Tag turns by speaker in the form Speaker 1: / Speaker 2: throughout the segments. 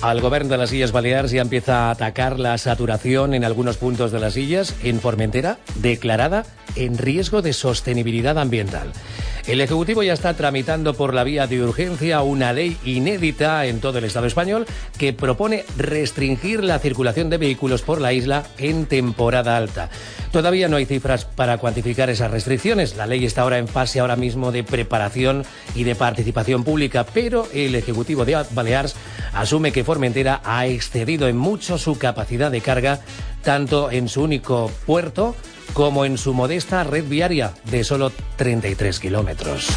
Speaker 1: Al Govern de les Illes Balears ya empieza a atacar la saturación en algunos puntos de las islas. En Formentera, declarada en riesgo de sostenibilidad ambiental. El Ejecutivo ya está tramitando por la vía de urgencia una ley inédita en todo el Estado español que propone restringir la circulación de vehículos por la isla en temporada alta. Todavía no hay cifras para cuantificar esas restricciones. La ley está ahora en fase ahora mismo de preparación y de participación pública, pero el Ejecutivo de Balears asume que Formentera ha excedido en mucho su capacidad de carga, tanto en su único puerto como en su modesta red viaria de solo 33 kilómetros.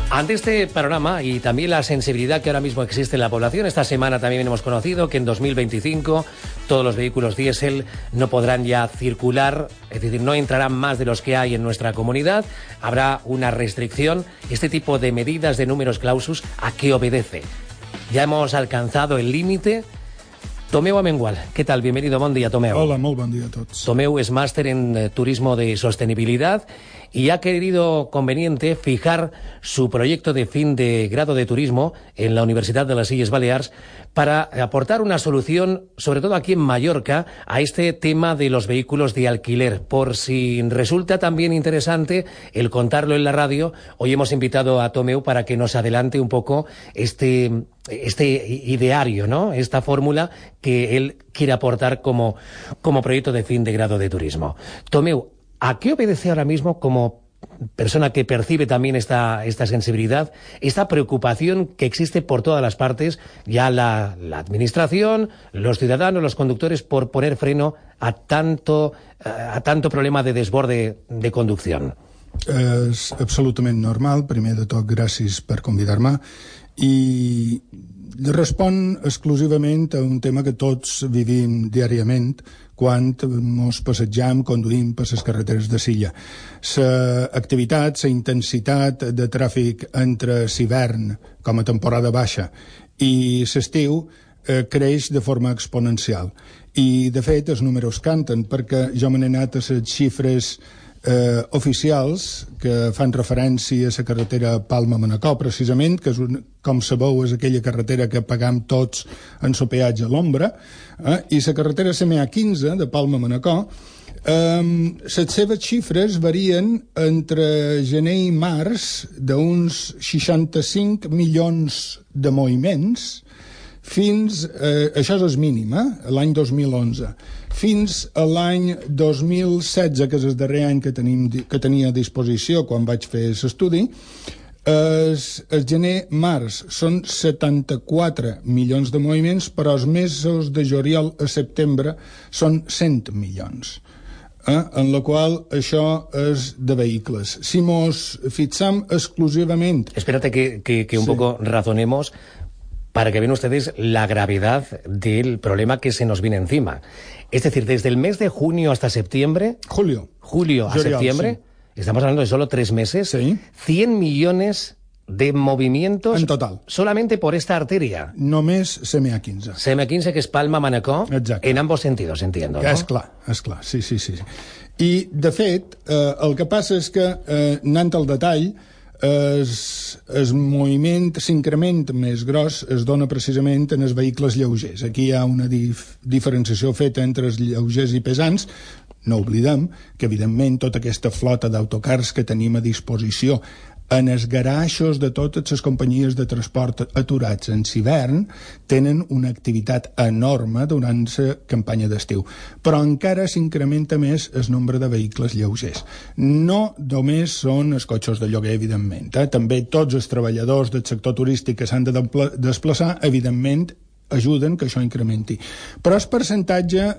Speaker 1: Ante este panorama y también la sensibilidad que ahora mismo existe en la población, esta semana también hemos conocido que en 2025 todos los vehículos diésel no podrán ya circular, es decir, no entrarán más de los que hay en nuestra comunidad. Habrá una restricción. Este tipo de medidas de números clausus, ¿a qué obedece? Ya hemos alcanzado el límite. Tomeu Amengual, ¿qué tal? Bienvenido, bon dia, Tomeu.
Speaker 2: Hola, molt bon dia a tots.
Speaker 1: Tomeu es máster en turismo de sostenibilidad y ha querido conveniente fijar su proyecto de fin de grado de turismo en la Universidad de las Illes Balears para aportar una solución, sobre todo aquí en Mallorca, a este tema de los vehículos de alquiler. Por si resulta también interesante el contarlo en la radio, hoy hemos invitado a Tomeu para que nos adelante un poco este ideario, ¿no? Esta fórmula que él quiere aportar como proyecto de fin de grado de turismo. Tomeu, ¿a qué obedece ahora mismo, como persona que percibe también esta sensibilidad, esta preocupación que existe por todas las partes, ya la administración, los ciudadanos, los conductores, por poner freno a tanto problema de desborde de conducción?
Speaker 2: És absolutament normal. Primer de tot, gràcies per convidar-me. I respon exclusivament a un tema que tots vivim diàriament quan ens passegem, conduïm per les carreteres de l'illa. L'activitat, la intensitat de tràfic entre l'hivern, com a temporada baixa, i l'estiu creix de forma exponencial. I, de fet, els números canten, perquè jo me n'he anat a les xifres oficials que fan referència a la carretera Palma-Manacor, precisament, que és com sabeu és aquella carretera que pagam tots en el peatge a l'ombra, i la carretera CMA15 de Palma-Manacor, les seves xifres varien entre gener i març d'uns 65 milions de moviments fins, això és el mínim, l'any 2011, fins a l'any 2016, que és el darrer any que tenia a disposició quan vaig fer l'estudi, el gener-març són 74 milions de moviments, però els mesos de juliol a setembre són 100 milions. En la qual això és de vehicles. Si mos fixam exclusivament...
Speaker 1: Espérate que un poco razonemos para que vean ustedes la gravedad del problema que se nos viene encima. Es decir, desde el mes de junio hasta septiembre... Julio a septiembre, sí. Estamos hablando de solo 3 meses, sí. 100 millones de movimientos...
Speaker 2: En total.
Speaker 1: Solamente por esta arteria.
Speaker 2: Només CMA15.
Speaker 1: CMA15, que es Palma-Manacor, en ambos sentidos, entiendo, ¿no?
Speaker 2: És clar, sí. I, de fet, el que passa és que, anant al detall, el moviment, l'increment més gros es dona precisament en els vehicles lleugers. Aquí hi ha una diferenciació feta entre els lleugers i pesants. No oblidem que, evidentment, tota aquesta flota d'autocars que tenim a disposició en els garaixos de totes les companyies de transport aturats en l'hivern tenen una activitat enorme durant la campanya d'estiu. Però encara s'incrementa més el nombre de vehicles lleugers. No només són els cotxes de lloguer, evidentment. També tots els treballadors del sector turístic que s'han de desplaçar, evidentment, ajuden que això incrementi. Però el percentatge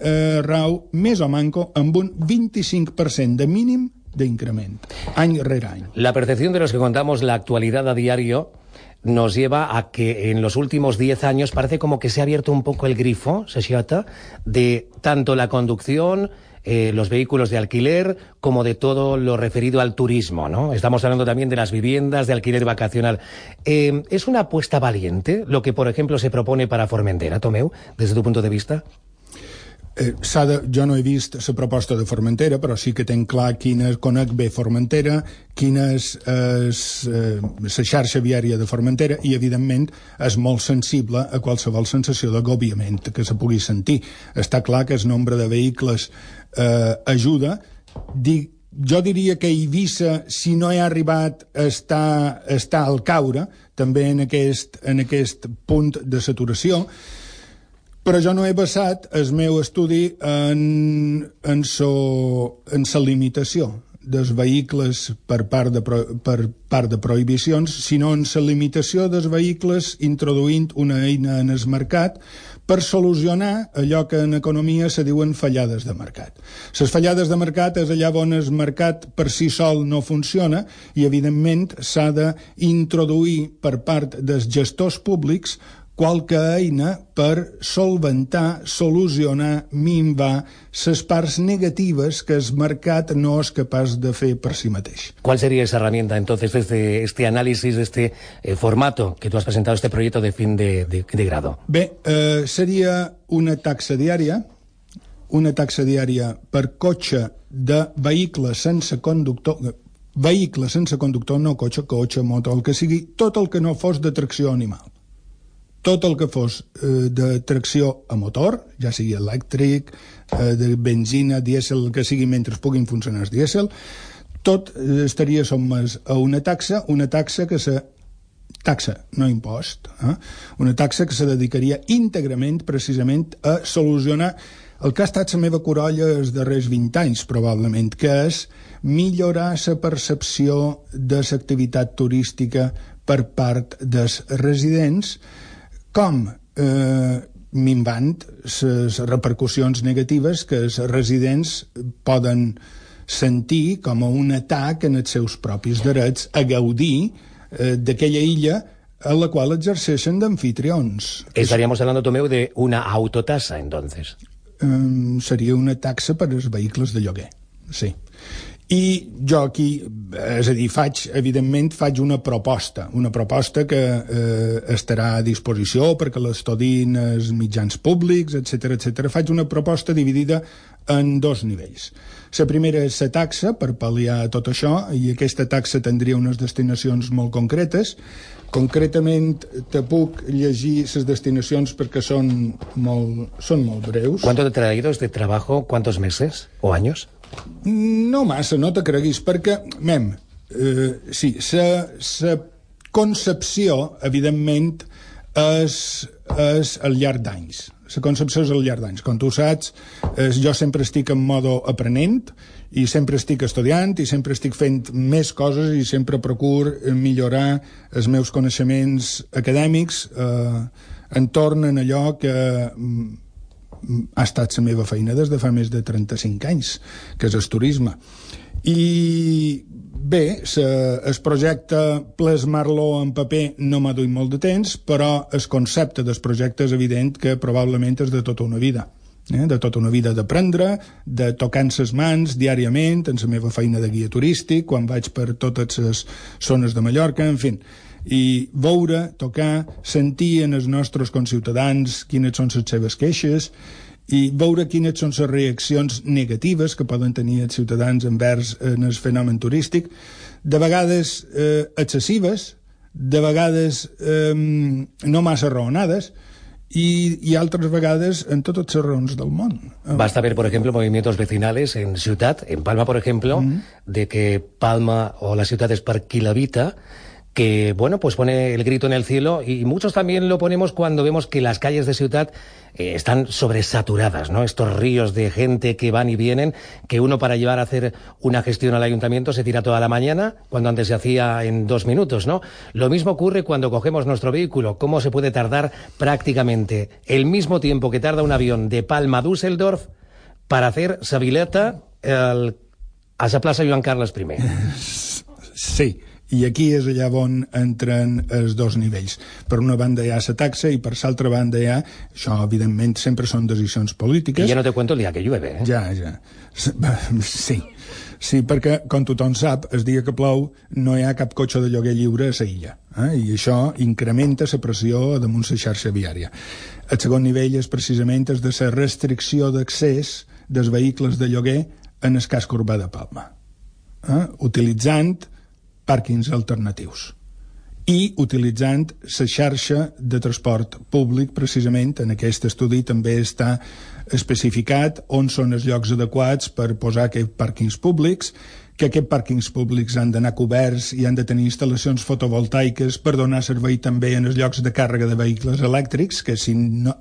Speaker 2: rau més o manco amb un 25% de mínim de incremento, año rere año.
Speaker 1: La percepción de los que contamos la actualidad a diario nos lleva a que en los últimos 10 años parece como que se ha abierto un poco el grifo, de tanto la conducción, los vehículos de alquiler, como de todo lo referido al turismo, ¿no? Estamos hablando también de las viviendas de alquiler vacacional. ¿Es una apuesta valiente lo que, por ejemplo, se propone para Formentera, Tomeu, desde tu punto de vista?
Speaker 2: Jo no he vist la proposta de Formentera, però sí que tenc clar conec bé Formentera, quina és la xarxa viària de Formentera, i evidentment és molt sensible a qualsevol sensació d'agobiament que se pugui sentir. Està clar que el nombre de vehicles ajuda. Jo diria que Eivissa, si no hi ha arribat, està al caure, també en aquest punt de saturació. Però jo no he basat el meu estudi en la limitació dels vehicles per part de prohibicions, sinó en la limitació dels vehicles introduint una eina en el mercat per solucionar allò que en economia se diuen fallades de mercat. Les fallades de mercat és allà on el mercat per si sol no funciona i, evidentment, s'ha d'introduir per part dels gestors públics qualque eina per solventar, solucionar, minvar les parts negatives que el mercat no és capaç de fer per si mateix.
Speaker 1: ¿Cuál sería esa herramienta, entonces, desde este análisis, de este formato que tú has presentado, este proyecto de fin de grado?
Speaker 2: Bé, seria una taxa diària per cotxe de vehicles sense conductor, no cotxe, moto, el que sigui, tot el que no fos de tracció animal. Tot el que fos de tracció a motor, ja sigui elèctric, de benzina, dièsel, el que sigui mentre puguin funcionar els dièsel, tot estaria sotmès a una taxa que taxa, no impost, una taxa que se dedicaria íntegrament, precisament, a solucionar el que ha estat la meva corolla els darrers 20 anys, probablement, que és millorar la percepció de l'activitat turística per part dels residents, com minvant les repercussions negatives que els residents poden sentir com a un atac en els seus propis drets a gaudir d'aquella illa a la qual exerceixen d'anfitrions.
Speaker 1: Estaríamos hablando, Tomeu, de una autotasa, entonces.
Speaker 2: Seria una taxa per als vehicles de lloguer, sí. I jo aquí, és a dir, evidentment faig una proposta que estarà a disposició perquè l'estudin els mitjans públics, etc. Faig una proposta dividida en dos nivells. La primera és la taxa, per pal·liar tot això, i aquesta taxa tindria unes destinacions molt concretes. Concretament, te puc llegir les destinacions perquè són molt breus.
Speaker 1: ¿Cuánto te ha traído este trabajo? ¿Cuántos meses o años?
Speaker 2: No massa, no te creguis, perquè, sí, la concepció, evidentment, és al llarg d'anys. La concepció és al llarg d'anys. Com tu saps, jo sempre estic en modo aprenent i sempre estic estudiant i sempre estic fent més coses i sempre procuro millorar els meus coneixements acadèmics entorn en allò que ha estat la meva feina des de fa més de 35 anys, que és el turisme. I bé, el projecte plasmar-lo en paper no m'ha duit molt de temps, però el concepte del projecte és evident que probablement és de tota una vida. De tota una vida d'aprendre, de tocar les mans diàriament, en la meva feina de guia turístic, quan vaig per totes les zones de Mallorca, en fi, i veure, tocar, sentir en els nostres conciutadans quines són les seves queixes i veure quines són les reaccions negatives que poden tenir els ciutadans envers el fenomen turístic, de vegades excessives, de vegades no massa raonades, y altres vegades en totes les raons del món.
Speaker 1: Basta ver, por ejemplo, movimientos vecinales en Ciutat, en Palma, por ejemplo, de que Palma o la ciutat és per qui l'habita, que, bueno, pues pone el grito en el cielo, y muchos también lo ponemos cuando vemos que las calles de Ciutat están sobresaturadas, ¿no? Estos ríos de gente que van y vienen, que uno para llevar a hacer una gestión al ayuntamiento se tira toda la mañana, cuando antes se hacía en 2 minutos, ¿no? Lo mismo ocurre cuando cogemos nuestro vehículo. ¿Cómo se puede tardar prácticamente el mismo tiempo que tarda un avión de Palma a Düsseldorf para hacer Sabileta a la plaça Joan Carles I?
Speaker 2: Sí. I aquí és allà on entren els dos nivells. Per una banda hi ha la taxa i per l'altra banda hi ha... Això, evidentment, sempre són decisions polítiques.
Speaker 1: I ja no te cuento el dia que llueve,
Speaker 2: Ja. Sí. Sí, perquè, com tothom sap, el dia que plou no hi ha cap cotxe de lloguer lliure a la illa, i això incrementa la pressió damunt la xarxa viària. El segon nivell és precisament el de la restricció d'accés dels vehicles de lloguer en el casc urbà de Palma, utilitzant pàrquings alternatius i utilitzant la xarxa de transport públic. Precisament en aquest estudi també està especificat on són els llocs adequats per posar aquests pàrquings públics, que aquests pàrquings públics han d'anar coberts i han de tenir instal·lacions fotovoltaiques per donar servei també en els llocs de càrrega de vehicles elèctrics, que si no,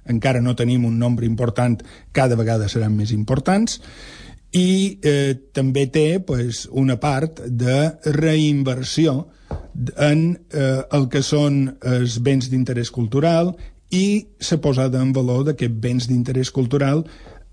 Speaker 2: encara no tenim un nombre important, cada vegada seran més importants, i també té una part de reinversió en el que són els béns d'interès cultural i la posada en valor d'aquests béns d'interès cultural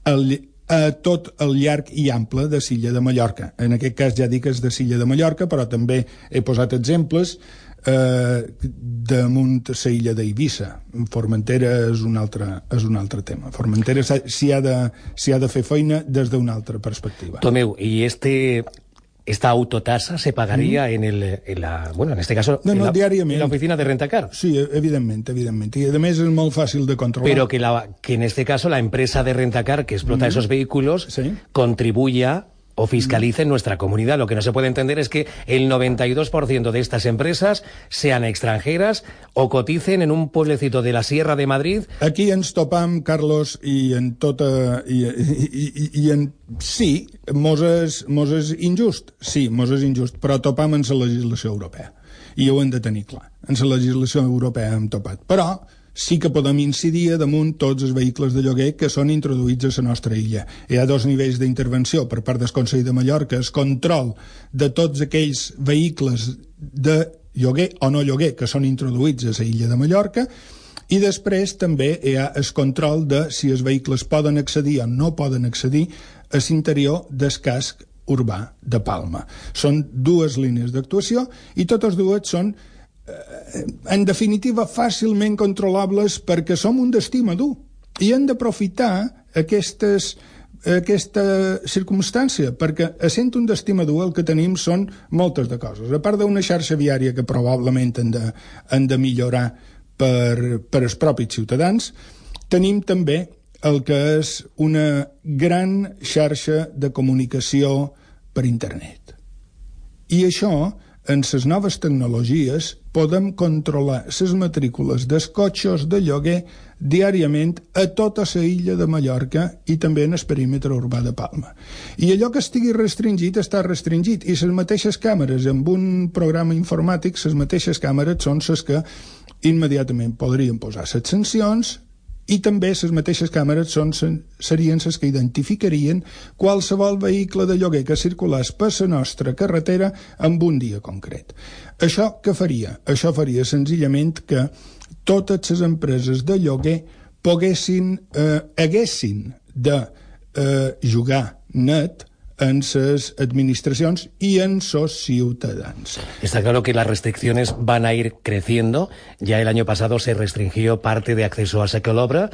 Speaker 2: a tot el llarg i ample de l'illa de Mallorca. En aquest cas ja dic és de l'illa de Mallorca, però també he posat exemples damunt la illa d'Eivissa. Formentera és un altre tema. Formentera s'hi ha de fer feina des d'una altra perspectiva.
Speaker 1: Tomeu, i esta autotasa se pagaría en este caso,
Speaker 2: diàriament.
Speaker 1: En la oficina de Rentacar.
Speaker 2: Sí, evidentment. I a més és molt fàcil de controlar.
Speaker 1: Pero que en este caso la empresa de Rentacar que explota esos vehículos contribuya o fiscalice en nuestra comunidad. Lo que no se puede entender es que el 92% de estas empresas sean extranjeras o coticen en un pueblecito de la Sierra de Madrid.
Speaker 2: Aquí ens topam, Carlos, i en tota... Sí, mos és injust. Sí, mos és injust, però topam en la legislació europea. I ho hem de tenir clar. En la legislació europea hem topat. Però sí que podem incidir damunt tots els vehicles de lloguer que són introduïts a la nostra illa. Hi ha dos nivells d'intervenció per part del Consell de Mallorca, el control de tots aquells vehicles de lloguer o no lloguer que són introduïts a la illa de Mallorca, i després també hi ha el control de si els vehicles poden accedir o no poden accedir a l'interior del casc urbà de Palma. Són dues línies d'actuació i totes dues són en definitiva fàcilment controlables perquè som un destí madur i hem d'aprofitar aquesta circumstància, perquè essent un destí madur el que tenim són moltes de coses, a part d'una xarxa viària que probablement han de millorar per als propis ciutadans. Tenim també el que és una gran xarxa de comunicació per internet, i això en les noves tecnologies podem controlar les matrícules dels cotxes de lloguer diàriament a tota la illa de Mallorca i també en el perímetre urbà de Palma. I allò que estigui restringit està restringit, i les mateixes càmeres, amb un programa informàtic, les mateixes càmeres són les que immediatament podrien posar les sancions, i també les mateixes càmeres serien les que identificarien qualsevol vehicle de lloguer que circulés per la nostra carretera en un dia concret. Això què faria? Això faria senzillament que totes les empreses de lloguer haguessin de jugar net en sus administracions y en sus ciudadanos.
Speaker 1: Está claro que las restricciones van a ir creciendo. Ya el año pasado se restringió parte de acceso a Secolobra.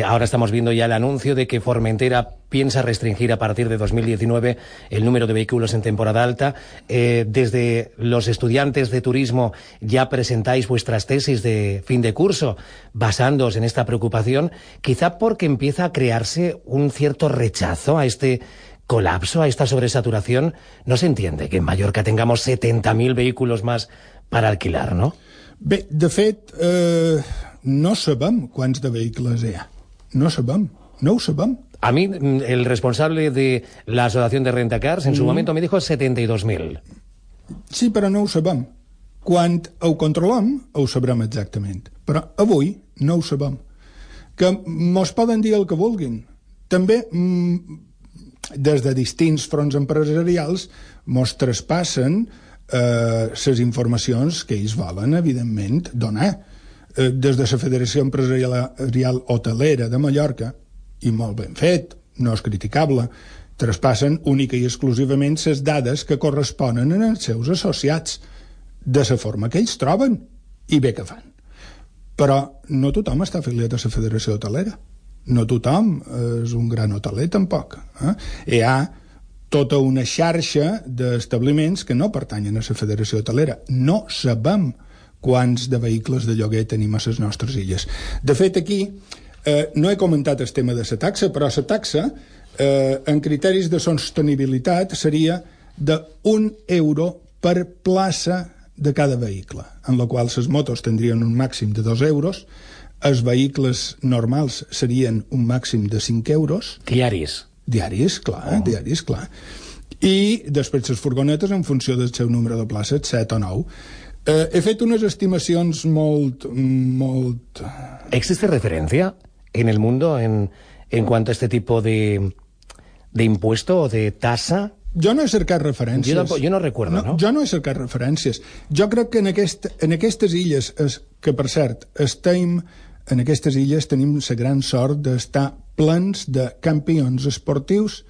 Speaker 1: Ahora estamos viendo ya el anuncio de que Formentera piensa restringir a partir de 2019 el número de vehículos en temporada alta. Desde los estudiantes de turismo ya presentáis vuestras tesis de fin de curso basándoos en esta preocupación, quizá porque empieza a crearse un cierto rechazo a este colapso, a esta sobresaturación. No se entiende que en Mallorca tengamos 70.000 vehículos más para alquilar, ¿no?
Speaker 2: Bé, de fet, no sabem quants de vehicles hi ha. No sabem, no ho sabem.
Speaker 1: A mí, el responsable de la Asociación de Rentacars en su momento me dijo 72.000.
Speaker 2: Sí, però no ho sabem. Quan ho controlem, ho sabrem exactament. Però avui no ho sabem. Que mos poden dir el que vulguin. També des de distints fronts empresarials mos traspassen les informacions que ells volen, evidentment, donar. Des de la Federació Empresarial Hotelera de Mallorca, i molt ben fet, no és criticable, traspassen única i exclusivament les dades que corresponen als seus associats, de la forma que ells troben, i bé que fan. Però no tothom està afiliat a la Federació Hotelera. No tothom és un gran hoteler, tampoc. Hi ha tota una xarxa d'establiments que no pertanyen a la Federació Hotelera. No sabem quants de vehicles de lloguer tenim a les nostres illes. De fet, aquí no he comentat el tema de la taxa, però la taxa, en criteris de sostenibilitat, seria d'1 € per plaça de cada vehicle, en la qual les motos tindrien un màxim de 2 euros, els vehicles normals serien un màxim de 5 euros.
Speaker 1: Diaris.
Speaker 2: Diaris, clar, diaris, clar. I després les furgonetes en funció del seu número de places, 7 o 9. He fet unes estimacions molt...
Speaker 1: ¿Existe referencia en el mundo en cuanto a este tipo de impuesto o de tasa?
Speaker 2: Jo no he cercat referències.
Speaker 1: Jo no recuerdo, no?
Speaker 2: Jo no he cercat referències. Jo crec que en aquestes illes, que per cert, en aquestes illes tenim la gran sort d'estar plens de campions esportius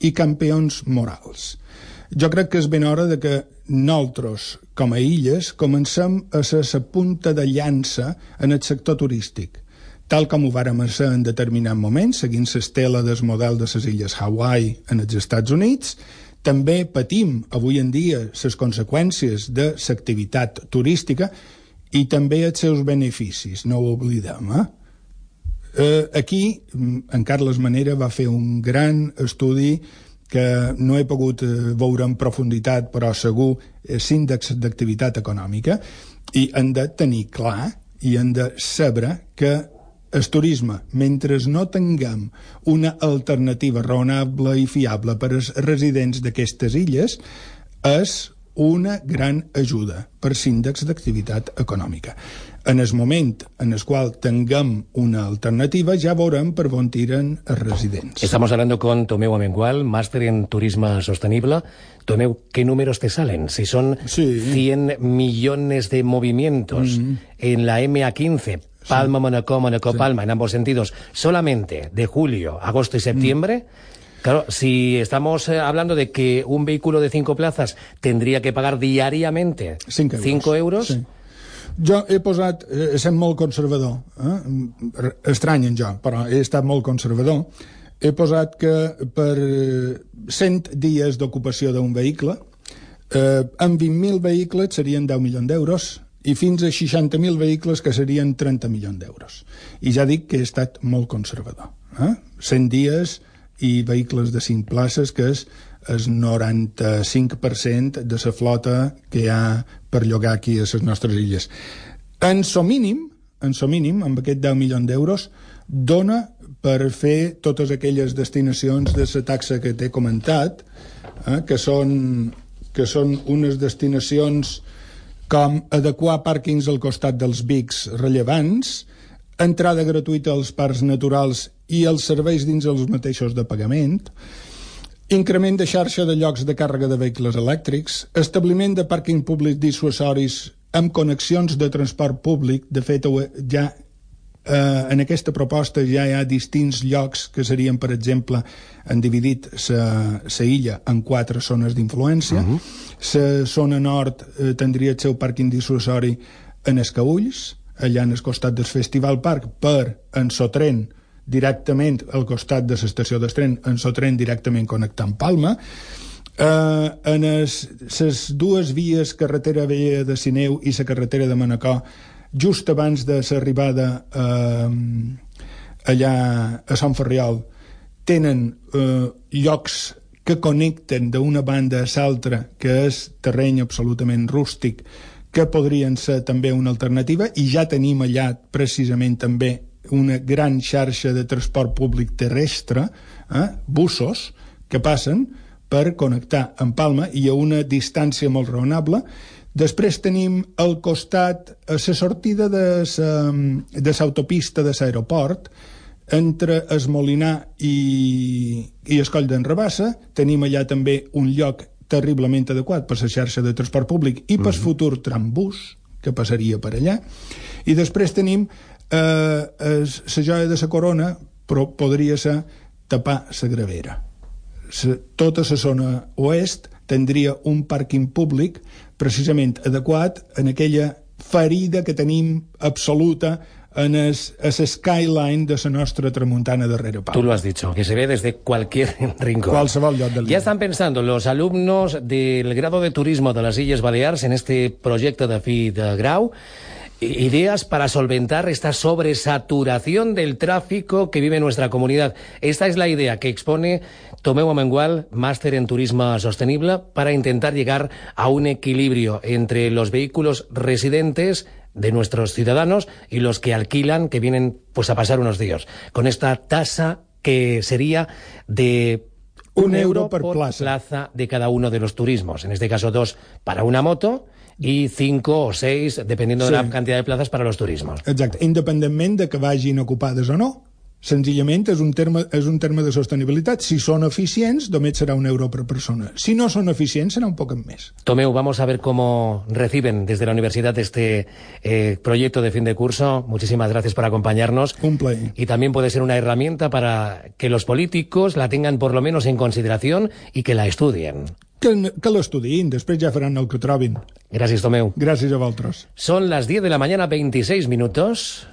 Speaker 2: i campions morals. Jo crec que és ben hora de que nosaltres, com a illes, comencem a ser la punta de llança en el sector turístic, tal com ho vàrem ser en determinat moment, seguint l'estela del model de les illes Hawaii en els Estats Units. També patim avui en dia les conseqüències de l'activitat turística i també els seus beneficis, no ho oblidem. Aquí, en Carles Manera va fer un gran estudi que no he pogut veure en profunditat, però segur és índex d'activitat econòmica, i hem de tenir clar i hem de saber que el turisme, mentre no tinguem una alternativa raonable i fiable per als residents d'aquestes illes, és una gran ajuda per l'índex d'activitat econòmica. En el moment en el qual tinguem una alternativa, ja veurem per on tiren els residents.
Speaker 1: Estamos hablando con Tomeu Amengual, máster en turismo sostenible. Tomeu, ¿qué números te salen? Si son 100 millones de movimientos en la MA15, Palma, Manacor, Manacor, Palma, en ambos sentidos, solamente de julio, agosto y septiembre. Claro, si estamos hablando de que un vehículo de 5 plazas tendría que pagar diariamente 5 euros.
Speaker 2: Sí. Jo he posat, sent molt conservador, estranyen jo, però he estat molt conservador, he posat que per 100 dies d'ocupació d'un vehicle, amb 20.000 vehicles serien 10 milions d'euros, i fins a 60.000 vehicles que serien 30 milions d'euros. I ja dic que he estat molt conservador. 100 dies i vehicles de 5 places, que és el 95% de la flota que hi ha per llogar aquí a les nostres illes. En so mínim, amb aquest 10 milions d'euros, dona per fer totes aquelles destinacions de la taxa que t'he comentat, que són unes destinacions com adequar pàrquings al costat dels bics rellevants, entrada gratuïta als parcs naturals i els serveis dins els mateixos de pagament, increment de xarxa de llocs de càrrega de vehicles elèctrics, establiment de pàrquing públic dissuasoris amb connexions de transport públic. De fet, ja en aquesta proposta ja hi ha distints llocs que serien, per exemple, han dividit la illa en 4 zones d'influència. La zona nord tindria el seu pàrquing dissuasori en Escaülls, allà en el costat del Festival Park, per en Sotren, directament al costat de l'estació d'Estren, en Sotren directament connectant Palma. En les dues vies, carretera vella de Sineu i la carretera de Manacor, just abans de l'arribada allà a Sant Ferriol, tenen llocs que connecten d'una banda a l'altra, que és terreny absolutament rústic, que podrien ser també una alternativa, i ja tenim allà precisament també una gran xarxa de transport públic terrestre, bussos, que passen per connectar amb Palma i a una distància molt raonable. Després tenim al costat la sortida de l'autopista de l'aeroport, entre es Molinar i el Coll d'en Rabassa. Tenim allà també un lloc terriblement adequat per la xarxa de transport públic i per futur trambús, que passaria per allà. I després tenim la joia de la corona, però podria ser tapar la Gravera. Tota la zona oest tindria un pàrquing públic precisament adequat en aquella ferida que tenim absoluta en el skyline de la nostra tramuntana darrere Pau.
Speaker 1: Tú lo has dicho, que se ve desde cualquier rincón.
Speaker 2: Qualsevol lloc del
Speaker 1: Ya están pensando los alumnos del grado de turismo de las Illes Balears en este proyecto de fi de grau, ideas para solventar esta sobresaturación del tráfico que vive nuestra comunidad. Esta es la idea que expone Tomeu Amengual, máster en turismo sostenible, para intentar llegar a un equilibrio entre los vehículos residentes de nuestros ciudadanos y los que alquilan, que vienen pues a pasar unos días, con esta tasa que sería de €1 por plaza de cada uno de los turismos. En este caso 2 para una moto y 5 o 6, dependiendo de la cantidad de plazas para los turismos.
Speaker 2: Exacte, independentment de que vagin ocupades o no. Senzillament és un terme de sostenibilitat. Si són eficients, només serà €1 per persona. Si no són eficients, serà un poc més.
Speaker 1: Tomeu, vamos a ver cómo reciben desde la universidad este proyecto de fin de curso. Muchísimas gracias por acompañarnos.
Speaker 2: Un plaer.
Speaker 1: Y también puede ser una herramienta para que los políticos la tengan por lo menos en consideración y que la estudien.
Speaker 2: Que l'estudiïn, després ja faran el que trobin.
Speaker 1: Gràcies, Tomeu.
Speaker 2: Gràcies a vosaltres.
Speaker 1: Son las 10 de la mañana, 26 minutos.